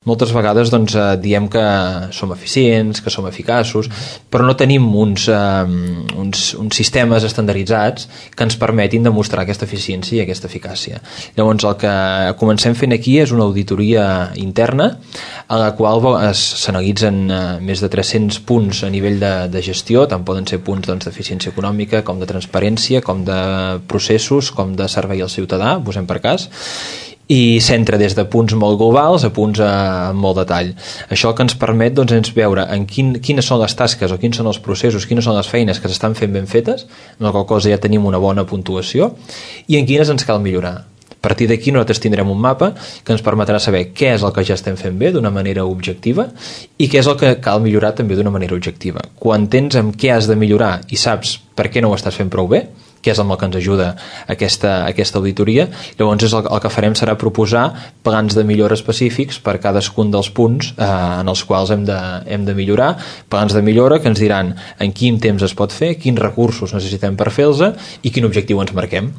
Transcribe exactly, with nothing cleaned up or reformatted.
Moltes vegades doncs, eh, diem que som eficients, que som eficaços, però no tenim uns, eh, uns, uns sistemes estandarditzats que ens permetin demostrar aquesta eficiència i aquesta eficàcia. Llavors el que comencem fent aquí és una auditoria interna a la qual s'analitzen eh, més de tres-cents punts a nivell de, de gestió, tant poden ser punts doncs, d'eficiència econòmica com de transparència, com de processos, com de servei al ciutadà, posem per cas, i s'entra des de punts molt globals a punts a, amb molt detall. Això que ens permet doncs, és veure en quin, quines són les tasques o quins són els processos, quines són les feines que s'estan fent ben fetes, en la qual cosa ja tenim una bona puntuació, i en quines ens cal millorar. A partir d'aquí nosaltres tindrem un mapa que ens permetrà saber què és el que ja estem fent bé d'una manera objectiva i què és el que cal millorar també d'una manera objectiva. Quan tens amb què has de millorar i saps per què no ho estàs fent prou bé, que és amb el que ens ajuda aquesta, aquesta auditoria, llavors és el, el que farem serà proposar plans de millora específics per cadascun dels punts eh, en els quals hem de, hem de millorar, plans de millora que ens diran en quin temps es pot fer, quins recursos necessitem per fer-los i quin objectiu ens marquem.